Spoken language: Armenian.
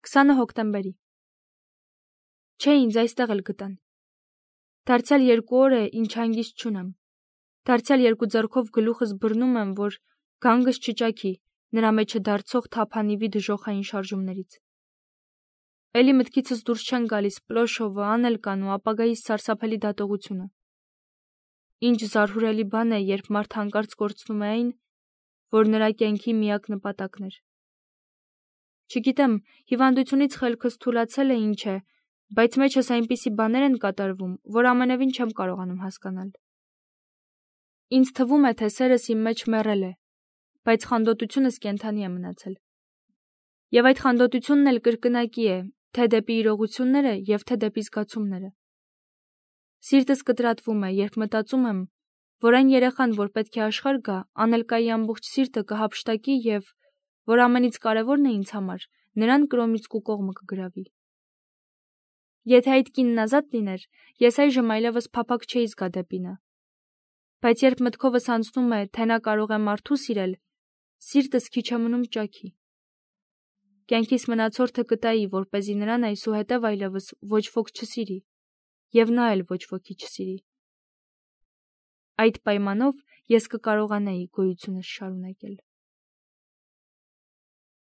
20 հոկտեմբերի։ Չէ, ինձ այստեղ էլ գտան։ Դարձյալ 2 օր է, ինչ հանգիստ չունեմ։ Դարձյալ 2 ձեռքով գլուխս բռնում եմ, որ գանգս չճաքի նրա մեջը դարձող թափանիվի դժոխային շարժումներից։ Էլի մտքիցս դուրս չեն գալիս Պլոշովը, Անելկան ու ապագայից սարսափելի դատողությունը։ Ինչ զարհուրելի բան է, երբ մարդ հանկարծ կորցնում է այն, որ նրա կյանքի միակ նպատակն էր։ Չգիտեմ, հիվանդությունից խելքս թուլացել է ինչ է, բայց մեջս այնպիսի բաներ են կատարվում, որ ամենևին չեմ կարողանում հասկանալ։ Ինձ թվում է, թե սերս իմ մեջ մեռել է, բայց խանդոտությունս կենդանի է մնացել։ Եվ այդ խանդոտությունն էլ կրկնակի է, թե դեպի իրողությունները և թե դեպի զգացումները։ Սիրտս կտրատվում է, երբ մտածում եմ, որ այն երեխան, որ պետք է աշխարհ գա, Անելկայի ամբողջ սիրտը կհափշտակի և, որ ամենից կարևորն է ինձ համար, նրան կրոմից կուկողմը կգրավի։ Եթե այդ կինն ազատ լիներ, ես այժմ այլևս փափագ չէի զգա դեպի նա։ Բայց երբ մտքովս անցնում է, թե նա կարող է մարդու սիրել, սիրտս քիչ է մնում ճաքի։ Կյանքիս մնացորդը կտայի, որպեսզի նրան այսուհետև այլևս ոչ ոք չսիրի, և նա էլ ոչ ոքի չսիրի։ Այդ պայմանով ես կկարողանայի գոյությունս շարունակել։